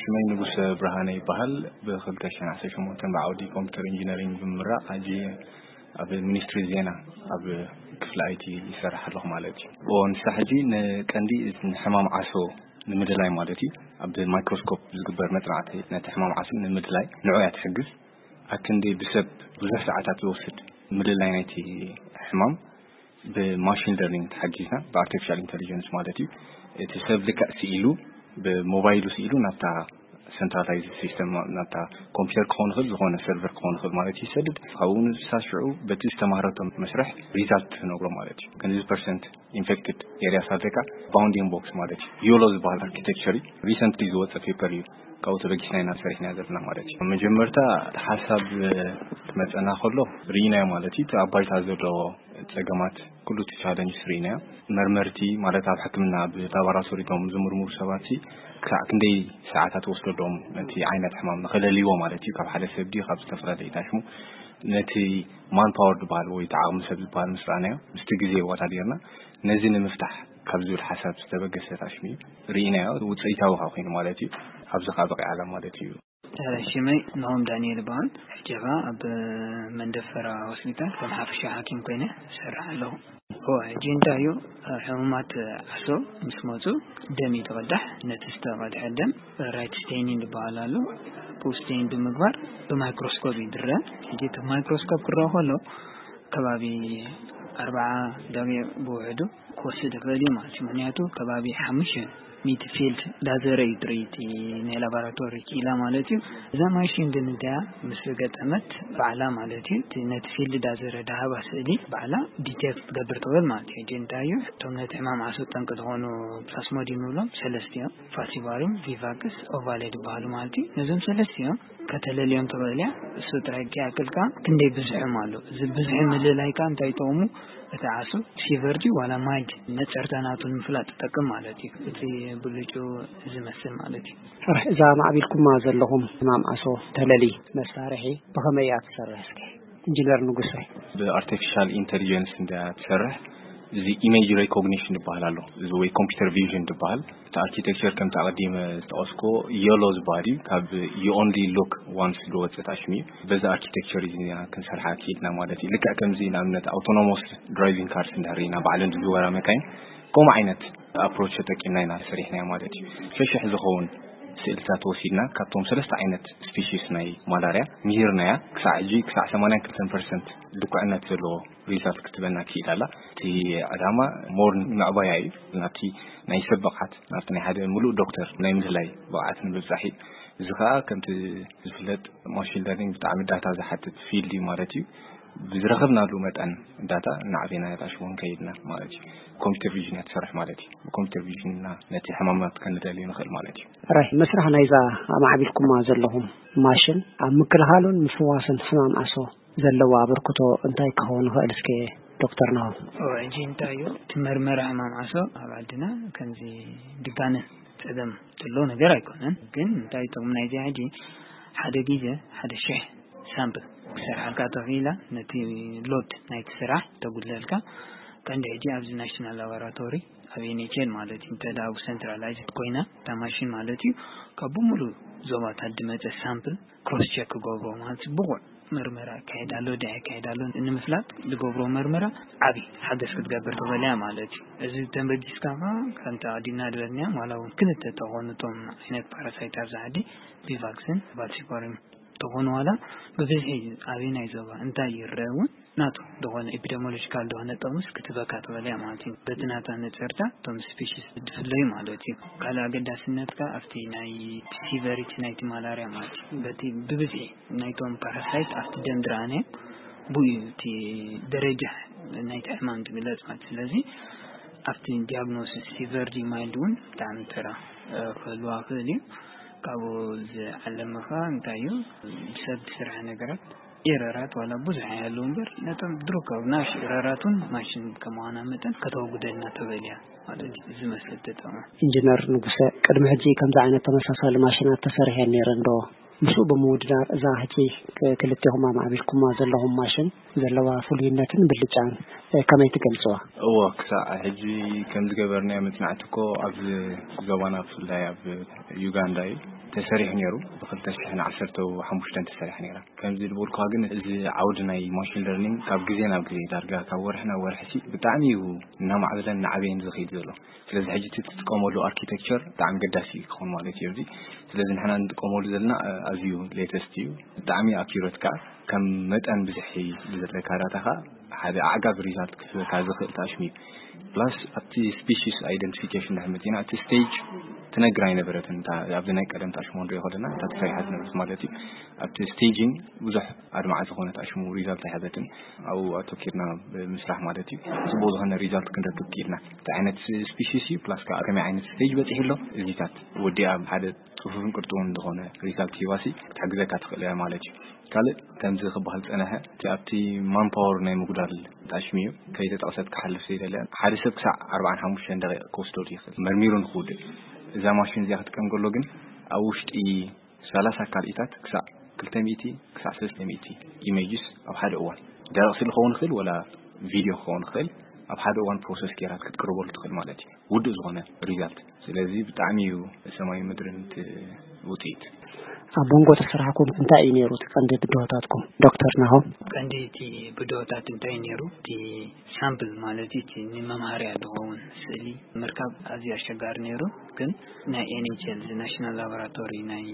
ስመይ ንጉሰ ብርሃነ ይበሃል። ብ2018 ብዓውዲ ኮምፒውተር ኢንጂነሪንግ ብምምራቕ፣ ሕጂ ኣብ ሚኒስትሪ ዜና ኣብ ክፍሊ ኣይቲ ይሰርሕ ኣለኹ ማለት እዩ። ንሳ ሕጂ ንቀንዲ ሕማም ዓሶ ንምድላይ ማለት እዩ፣ ኣብ ማይክሮስኮፕ ዝግበር መጽናዕቲ ነቲ ሕማም ዓሶ ንምድላይ ንዑ እያ ትሕግዝ። ኣክንዲ ብሰብ ብዙሕ ሰዓታት ዝወስድ ምልላይ ናይቲ ሕማም ብማሽን ለርኒንግ ተሓጊዝና፣ ብኣርቲፊሻል ኢንተሊጀንስ ማለት እዩ። እቲ ሰብ ልክዕ ስኢሉ፣ ብሞባይሉ ስኢሉ ናብታ ሰንትራላይዝ ሲስተም፣ ናብታ ኮምፒውተር ክኸውን ይኽእል፣ ዝኾነ ሰርቨር ክኸውን ይኽእል ማለት እዩ፣ ይሰድድ። ካብኡ ንሳ ሽዑ በቲ ዝተማህረቶ መስርሕ ሪዛልት ትነግሮ ማለት እዩ። ክንዚ ፐርሰንት ኢንፌክትድ ኤሪያስ ኣለካ፣ ባውንዲንግ ቦክስ ማለት እዩ። ዮሎ ዝበሃል ኣርኪቴክቸር እዩ። ሪሰንትሊ ዝወፀ ፔፐር እዩ። ካብኡ ተበጊስና ኢና ሰሪሕና ዘለና ማለት እዩ። መጀመርታ እቲ ሓሳብ ክመፀና ከሎ ርኢናዮ ማለት እዩ። እቲ ኣብ ባይታ ዘሎ ፀገማት፣ ኩሉ እቲ ቻለንጅ ርኢናዮ። መርመርቲ ማለት ኣብ ሕክምና ኣብ ላቦራቶሪ እቶም ዝምርምሩ ሰባት ሲ ክሳዕ ክንደይ ሰዓታት ወስደሎም ነቲ ዓይነት ሕማም ንኸለልይዎ ማለት እዩ። ካብ ሓደ ሰብ ድዩ ካብ ዝተፈላለዩ ታሽሙ ነቲ ማን ፓወር ዝበሃል ወይ እቲ ዓቕሚ ሰብ ዝበሃል ምስ ረኣናዮ፣ ምስቲ ግዜ ወዳዲርና ነዚ ንምፍታሕ ካብ ዝብል ሓሳብ ዝተበገሰ ታሽሙ እዩ። ርኢናዮ፣ ውፅኢታዊ ከዓ ኮይኑ ማለት እዩ። ኣብዚ ከዓ በቂዓላ ማለት እዩ። ሽመይ ንሆም ዳንኤል ይበሃል። ሕጂ ኸዓ ኣብ መንደፈራ ሆስፒታል ከም ሓፈሻ ሓኪም ኮይነ እሰርሕ ኣለኹ። እወ፣ ሕጂ እንታይ እዩ፣ ሕሙማት ዓሶ ምስ መፁ ደም እዩ ዝቐዳሕ። ነቲ ዝተቐድሐ ደም ራይት ስቴኒንግ ዝበሃል ኣሎ። ብኡ ስቴን ብምግባር ብማይክሮስኮፕ ይድረ። ሕጂ እቲ ማይክሮስኮፕ ክረአ ከሎ ከባቢ ኣርባዓ ደቂቕ ብውሕዱ ክወስድ ይኽእል እዩ ማለት እዩ። ምኽንያቱ ከባቢ ሓሙሽተ ሚእቲ ፊልድ ላዘር እዩ ትርኢ ናይ ላቦራቶሪ ክኢላ ማለት እዩ። እዛ ማሽን ግን እንተያ ምስ ገጠመት ባዕላ ማለት እዩ፣ እቲ ነቲ ፊልድ ላዘር ድሃባ ስእሊ ባዕላ ዲቴክት ክትገብር ትኽእል ማለት እዩ። ሕጂ እንታይ እዩ፣ እቶም ነቲ ሕማም ዓሶ ጠንቂ ዝኾኑ ፕላስሞዲየም ንብሎም ሰለስተ እዮም። ፋሲቫሪም፣ ቪቫክስ፣ ኦቫሌ ዝበሃሉ ማለት እዩ። ነዞም ሰለስተ እዮም ከተለልዮም ትኽእል እያ። እሱ ጥራይ ከይኣክል ከኣ ክንደይ ብዝሖም ኣሎ። እዚ ብዝሒ ምልላይ ከኣ እንታይ ጥቕሙ፣ እቲ ዓሶ ፊቨር ድዩ ዋላ ማይልድ ነጸርታ ናቱ ንምፍላጥ ትጠቅም ማለት እዩ። እቲ ብልጩ ዝመስል ማለት እዩ። ጥራሕ እዛ ማዕቢልኩማ ዘለኹም ሕማም ዓሶ ተለሊ መሳርሒ ብኸመይ እያ ትሰርሕ እስከ? ኢንጂነር ንጉሰ። ብኣርቲፊሻል ኢንተሊጀንስ እንዳ ትሰርሕ፣ እዚ ኢሜጅ ሬኮግኒሽን ይበሃል ኣሎ፣ እዚ ወይ ኮምፒውተር ቪዥን ይበሃል። እቲ ኣርኪቴክቸር ከምቲ ኣቐዲመ ዝጠቐስኩዎ ዮሎ ዝበሃል እዩ። ካብ you only look once ዝወፅእ ታሽም እዩ። በዚ ኣርኪቴክቸር እዚ ኢና ክንሰርሓ ክኢልና ማለት እዩ። ልክዕ ከምዚ ንኣብነት ኣውቶኖሞስ ድራይቪንግ ካርስ እንድሕር ኢና ባዕለን ዝዝወራ መካይን ከምኡ ዓይነት ኣፕሮች ተጠቂምና ኢና ሰሪሕናዮ ማለት እዩ። ሸሽሕ ዝኸውን ስእልታት ወሲድና ካብቶም ሰለስተ ዓይነት ስፒሺስ ናይ ማላርያ ምሂርናያ። ክሳዕ ሕጂ ክሳዕ ሰማንያን ክልተን ፐርሰንት ልኩዕነት ዘለዎ ሪዛልት ክትበና ክኢል ኣላ። እቲ ዕላማ ሞር ንምዕባያ እዩ፣ ናብቲ ናይ ሰብ ብቕዓት፣ ናብቲ ናይ ሓደ ምሉእ ዶክተር ናይ ምድላይ ብቕዓት ንምብጻሕ እዩ። እዚ ከኣ ከምቲ ዝፍለጥ ማሽን ለርኒንግ ብጣዕሚ ዳታ ዝሓትት ፊልድ እዩ ማለት እዩ። ብዝረኸብናሉ መጠን ዳታ እናዕቤና የጣሽዎ ከይድና ማለት እዩ። ኮምፒውተር ቪዥን እያ ትሰርሕ ማለት እዩ። ብኮምፒውተር ቪዥን ኢና ነቲ ሕማማት ከንለልዮ ንኽእል ማለት እዩ። ራይ መስራሕ ናይዛ ኣማዕቢልኩማ ዘለኹም ማሽን ኣብ ምክልኻሉን ምፍዋስን ሕማም ዓሶ ዘለዎ ኣበርክቶ እንታይ ክኸውን ይኽእል? እስከ ዶክተር ናሆም። እወ፣ ሕጂ እንታይ እዩ፣ እቲ መርመራ ሕማም ዓሶ ኣብ ዓድና ከምዚ ድጋነ ጸገም ዘሎ ነገር ኣይኮነን። ግን እንታይ ጥቕሚ ናይዚ ሕጂ፣ ሓደ ግዜ ሓደ ሽሕ ሳምፕል ክሰርሓልካ ተኽኢላ፣ ነቲ ሎድ ናይቲ ስራሕ ተጉድለልካ። ቀንዲ ሕጂ ኣብዚ ናሽናል ላቦራቶሪ ኣብ ኤንኤችኤል ማለት እዩ፣ እንተ ደኣ ብኡ ሰንትራላይዝድ ኮይና እታ ማሽን ማለት እዩ፣ ካብ ብምሉእ ዞባታት ዝመጸ ሳምፕል ክሮስ ቸክ ክገብሮ ማለት እዩ፣ ብቑዕ መርመራ ይካየድ ኣሎ ድኣ ይካየድ ኣሎ ንምፍላጥ ዝገብሮ መርመራ ዓቢ ሓገዝ ክትገብር ትኽእል እያ ማለት እዩ። እዚ ተንበጊስካ ከኣ ከምቲ ኣቐዲምና ዝበልናዮ፣ ዋላ እውን ክልተ ተኾኑ እቶም ዓይነት ፓራሳይት ኣብዚ ዓዲ፣ ቪቫክስን ቫልሲፖርን ተኾኑ፣ ዋላ ብብዝሒ ኣበየናይ ዞባ እንታይ ይረአ እውን ናቱ ዝኾነ ኤፒደሞሎጂካል ዝኾነ ጥቕምስ ክትበካ ትኽእል እያ ማለት እዩ። በቲ ናታ ነጸርታ እቶም ስፒሽስ ዝፍለዩ ማለት እዩ። ካልእ ኣገዳስነት ከኣ ኣብቲ ናይ ሲቨሪቲ ናይቲ ማላርያ ማለት እዩ። በቲ ብብዝሒ ናይቶም ፓራሳይት ኣብቲ ደም ዝረኣነ ብኡ እዩ እቲ ደረጃ ናይቲ ሕማም ዝግለጽ ማለት እዩ። ስለዚ ኣብቲ ዲያግኖሲስ ሲቨር ድዩ ማይልድ እውን ብጣዕሚ ተራ፣ እ፣ ክህልዋ ክእል እዩ። ካብኡ ዝዓለመ ከኣ እንታይ እዩ፣ ብሰብ ዝስራሕ ነገራት ኤረራት ዋላ ብዙሕ ኣይሃለዉ እምበር፣ ነቶም ድሮ ካብ ናሽ ኤረራት እውን ማሽን ከማና መጠን ከተወግደልና ትኽእል እያ ማለት እዩ። እዚ መስል ተጠቕመ። ኢንጂነር ንጉሰ፣ ቅድሚ ሕጂ ከምዚ ዓይነት ተመሳሳሊ ማሽናት ተሰሪሐን ነይረን ዶ? ምስኡ ብምውድዳር እዛ ሕጂ ክልቴኹም ኣማዕቢልኩማ ዘለኹም ማሽን ዘለዋ ፍሉይነትን ብልጫን ከመይ ትገልጽዋ? እዎ፣ ክሳዕ ሕጂ ከም ዝገበርናዮ መጽናዕቲ እኮ ኣብ ዞባና ብፍላይ ኣብ ዩጋንዳ እዩ ተሰሪሑ ነይሩ። ብ2015 ተሰሪሐ ነይራ። ከምዚ ዝበልኩኻ ግን እዚ ዓውዲ ናይ ማሽን ለርኒንግ ካብ ግዜ ናብ ግዜ ዳርጋ ካብ ወርሒ ናብ ወርሒ ሲ ብጣዕሚ እዩ እናማዕበለን እናዓበየን ዝኸይድ ዘሎ። ስለዚ ሕጂ እቲ ትጥቀመሉ ኣርኪቴክቸር ብጣዕሚ ገዳሲ ክኸውን ማለት እዩ። እዚ ስለዚ ንሕና እንጥቀመሉ ዘለና ኣዝዩ ሌተስት እዩ። ብጣዕሚ ኣኪሮት ከዓ ከም መጠን ብዝሒ ዘለካ ዳታ ከዓ ሓደ ኣዕጋቢ ሪዛልት ክህበካ ዝኽእል ታሽሙ እዩ። ፕላስ ኣብቲ ስፒሽስ ኣይደንቲፊኬሽን ድሕር መፂና እቲ ስቴጅ ትነግር ኣይነበረትን። ኣብዚ ናይ ቀደም ታሽሙ ንሪኦ ከለና እታ ተሰሪሓ ዝነበረት ማለት እዩ። ኣብቲ ስቴጂንግ ብዙሕ ኣድማዕ ዝኾነ ታሽሙ ሪዛልት ኣይሃበትን። ኣብኡ ኣተኪርና ብምስራሕ ማለት እዩ። ፅቡቅ ዝኾነ ሪዛልት ክንረክብ ክኢልና። እንታይ ዓይነት ስፒሽስ እዩ ፕላስ ከዓ ከመይ ዓይነት ስቴጅ በፂሑ ኣሎ እዚታት ወዲኣ ሓደ ፅፉፍን ቅርጥውን ዝኾነ ሪዛልት ሂባሲ ክትሕግዘካ ትኽእል እያ ማለት እዩ። ካልእ ከምዚ ክበሃል ዝፀነሐ እቲ ኣብቲ ማንፓወር ናይ ምጉዳል ጣሽሚ እዩ። ከይተጠቕሰት ክሓልፍ ዘይደለ ሓደ ሰብ ክሳዕ ኣርባዓን ሓሙሽተን ደቂቕ ክወስደሉ ይኽእል መርሚሩ ንክውድእ። እዛ ማሽን እዚኣ ክትጥቀም ከሎ ግን ኣብ ውሽጢ ሰላሳ ካልኢታት ክሳዕ ክልተ ሚእቲ ክሳዕ ሰለስተ ሚእቲ ኢሜጅስ ኣብ ሓደ እዋን ደረቕ ስእሊ ክኸውን ይኽእል ወላ ቪድዮ ክኸውን ይኽእል ኣብ ሓደ እዋን ፕሮሰስ ገይራት ክትቅርበሉ ትኽእል ማለት እዩ። ውዱእ ዝኾነ ሪዛልት። ስለዚ ብጣዕሚ እዩ ሰማይ ምድርን እቲ ውፅኢት። ኣብ መንጎ እቲ ስራሕኩም እንታይ እዩ ነይሩ እቲ ቀንዲ ብድሆታትኩም ዶክተር ናሆም? ቀንዲ እቲ ብድሆታት እንታይ ነይሩ? እቲ ሳምፕል ማለት እዩ፣ እቲ ንመምሃርያ ዝኸውን ስእሊ ምርካብ ኣዝዩ ኣሸጋሪ ነይሩ። ግን ናይ ኤንኤችኤል ናሽናል ላቦራቶሪ ናይ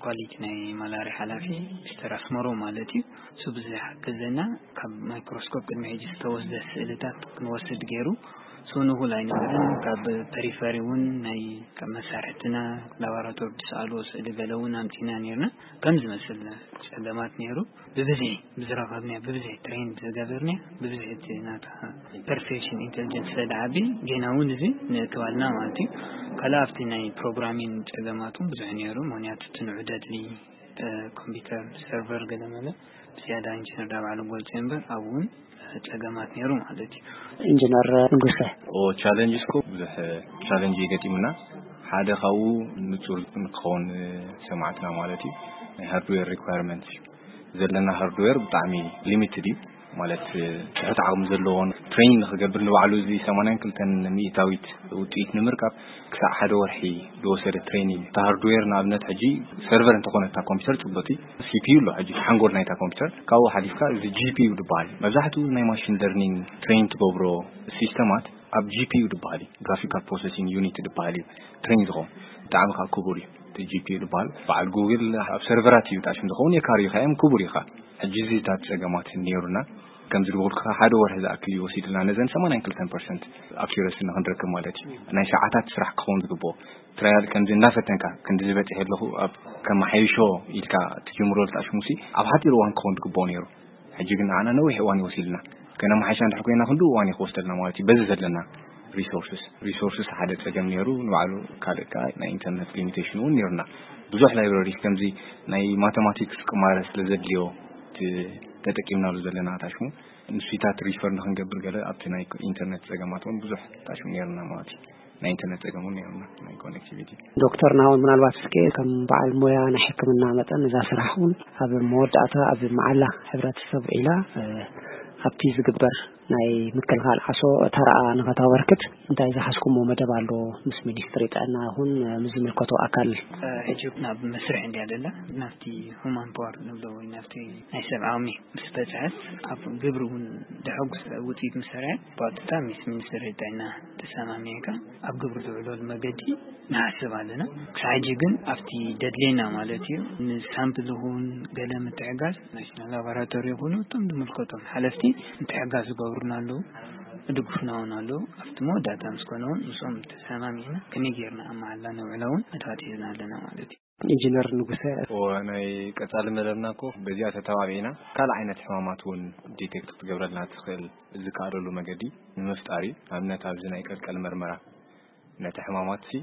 ኳሊቲ ናይ ማላርያ ሓላፊ ሚስተር ኣስመሮ ማለት እዩ። እሱ ብዝሓገዘና ካብ ማይክሮስኮፕ ቅድሚ ሕጂ ዝተወስደ ስእልታት ክንወስድ ገይሩ። እሱ ንኹል ኣይነበረን። ካብ ፐሪፈሪ እውን ናይ ካብ መሳርሕትና ላቦራቶሪ ዝሰኣልዎ ስእሊ ገለ እውን ኣምፂና ነይርና። ከም ዝመስል ፀገማት ነይሩ። ብብዝሒ ብዝረኸብናዮ ብብዝሒ ትሬን ዝገበርናዮ ብብዝሒ እቲ ናታ ፐርፌክሽን ኢንቴሊጀንስ ስለዝዓቢ ጌና እውን እዚ ንእክባልና ማለት እዩ። ካልእ ኣብቲ ናይ ፕሮግራሚን ፀገማት እውን ብዙሕ ነይሩ። ምክንያቱ እቲ ንዑ ደድሊ ኮምፒውተር ሰርቨር ገለመለ ብዝያዳ ኢንጂነር ዳ ባዕሉ ገልፁ እምበር ኣብኡ እውን ፀገማት ነይሩ ማለት እዩ። ኢንጂነር ንጉሰ ቻለንጅ እስኮ ብዙሕ ቻለንጅ ይገጢሙና ሓደ ካብኡ ንፁር ንክኸውን ሰማዕትና ማለት እዩ። ናይ ሃርድዌር ሪኳርመንት እዩ ዘለና ሃርድዌር ብጣዕሚ ሊሚትድ እዩ። ማለት ትሑት ዓቕሚ ዘለዎን ትሬን ንክገብር ንባዕሉ እዚ ሰማንያን ክልተን ሚእታዊት ውፅኢት ንምርካብ ክሳዕ ሓደ ወርሒ ዝወሰደ ትሬኒንግ እዩ። እቲ ሃርድዌር ንኣብነት ሕጂ ሰርቨር እንተኾነ እታ ኮምፒውተር ፅቡቅ እዩ። ሲፒዩ ኣሎ ሕጂ ሓንጎል ናይታ ኮምፒውተር ካብኡ ሓሊፍካ እዚ ጂፒዩ ዝበሃል መብዛሕትኡ ናይ ማሽን ለርኒንግ ትሬን ትገብሮ ሲስተማት ኣብ ጂፒዩ ዝበሃል እዩ። ግራፊካል ፕሮሰሲንግ ዩኒት ዝበሃል እዩ ትሬን ዝኸውን ብጣዕሚ ካብ ክቡር እዩ። እቲ ጂፒዩ ዝበሃል በዓል ጉግል ኣብ ሰርቨራት እዩ ጣሽም ዝኸውን የካርዩካ እዮም ክቡር እዩ ከዓ ሕጂ እዚታት ፀገማት ነይሩና። ከምዚ ዝበልኩ ሓደ ወርሒ ዝኣክል እዩ ወሲድልና ነዘን ሰማንያን ክልተን ፐርሰንት ኣኪረሲ ንክንረክብ ማለት እዩ። ናይ ሰዓታት ስራሕ ክኸውን ዝግብኦ ትራያል ከምዚ እናፈተንካ ክንዲ ዝበፅሕ ኣለኹ ኣብ ከመሓይሾ ኢልካ ትጅምሮ ዝጣሽሙሲ ኣብ ሓፂር እዋን ክኸውን ዝግብኦ ነይሩ። ሕጂ ግን ንዓና ነዊሕ እዋን ይወሲድና። ከነመሓይሻ እንድሕር ኮይና ክንዱ እዋን እዩ ክወስደልና ማለት እዩ። በዚ ዘለና ሪሶርስስ ሪሶርስስ ሓደ ፀገም ነይሩ ንባዕሉ ካልእ ከዓ ናይ ኢንተርነት ሊሚቴሽን እውን ነይሩና። ብዙሕ ላይብረሪ ከምዚ ናይ ማተማቲክስ ቅማረ ስለ ዘድልዮ ተጠቂምናሉ ዘለና ታሽሙ ንሱታት ሪፈር ንክንገብር ገለ ኣብቲ ናይ ኢንተርነት ፀገማት እውን ብዙሕ ታሽሙ ነይሩና ማለት እዩ። ናይ ኢንተርነት ፀገም እውን ነይሩና ናይ ኮኔክቲቪቲ። ዶክተር ናሆም ምናልባት እስከ ከም በዓል ሞያ ናይ ሕክምና መጠን እዛ ስራሕ እውን ኣብ መወዳእታ ኣብ መዓላ ሕብረተሰብ ዒላ ኣብቲ ዝግበር ናይ ምክልኻል ዓሶ ተራኣ ንኸታበርክት እንታይ ዝሓዝኩሞ መደብ ኣሎ? ምስ ሚኒስትሪ ጥዕና ይኹን ምስ ዝምልከቶ ኣካል? ሕጂ ናብ መስርሕ እንድያ ዘላ ናብቲ ሁማን ፓወር ንብሎ ወይ ናብቲ ናይ ሰብ ዓቕሚ ምስ በፅሐት ኣብ ግብሪ እውን ደሐጉስ ውፅኢት ምሰርዐ ብቐጥታ ምስ ሚኒስትሪ ጥዕና ተሰማሚዕካ ኣብ ግብሪ ዝውዕለሉ መገዲ ንሓስብ ኣለና። ክሳብ ሕጂ ግን ኣብቲ ደድሌና ማለት እዩ ንሳምፕል ይኹን ገለ ምትሕጋዝ ናሽናል ላቦራቶሪ ይኹኑ እቶም ዝምልከቶም ሓለፍቲ ምትሕጋዝ ዝገብሩና ኣለዉ፣ ዝድግፉና እውን ኣለዉ። ኣብቲ መወዳእታ ምስ ኮነ እውን ምስኦም ተሰማሚዕና ከመይ ጌርና ኣብ መዓላ ነውዕላ እውን መድባት ሒዝና ኣለና ማለት እዩ። ኢንጂነር ንጉሰ። ናይ ቀጻሊ መደብና እኮ በዚኣ ተተባቢዕና ካልእ ዓይነት ሕማማት እውን ዲቴክት ክትገብረልና ትኽእል ዝከኣለሉ መገዲ ንምፍጣር እዩ። ኣብነት ኣብዚ ናይ ቀልቀል መርመራ ነቲ ሕማማት ሲ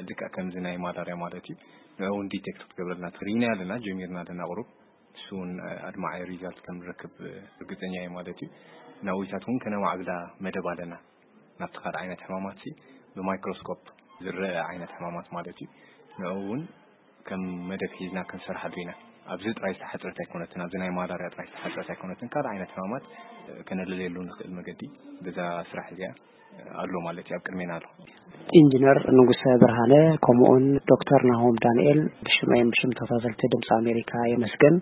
ልክዕ ከምዚ ናይ ማላርያ ማለት እዩ ንዑ እውን ዲቴክት ክትገብረልና ትኽእል ኢና ኣለና ጀሚርና ኣለና ቁሩብ እሱ እውን ኣድማዓይ ሪዛልት ከም ንረክብ ርግፀኛ እየ ማለት እዩ። ናዊታት እውን ከነማዕብላ መደብ ኣለና ናብቲ ካልእ ዓይነት ሕማማት ሲ ብማይክሮስኮፕ ዝረአ ዓይነት ሕማማት ማለት እዩ ንዑ እውን ከም መደብ ሒዝና ክንሰርሓሉ ኢና። ኣብዚ ጥራይ ዝተሓፅረት ኣይኮነትን፣ ኣብዚ ናይ ማላርያ ጥራይ ዝተሓፅረት ኣይኮነትን። ካልእ ዓይነት ሕማማት ከነለልየሉ ንኽእል መገዲ በዛ ስራሕ እዚኣ ኣሎ ማለት እዩ፣ ኣብ ቅድሜና ኣሎ። ኢንጂነር ንጉሰ ብርሃነ ከምኡውን ዶክተር ናሆም ዳንኤል ብሽመይን ብሽም ተኸታተልቲ ድምፂ ኣሜሪካ የመስግን።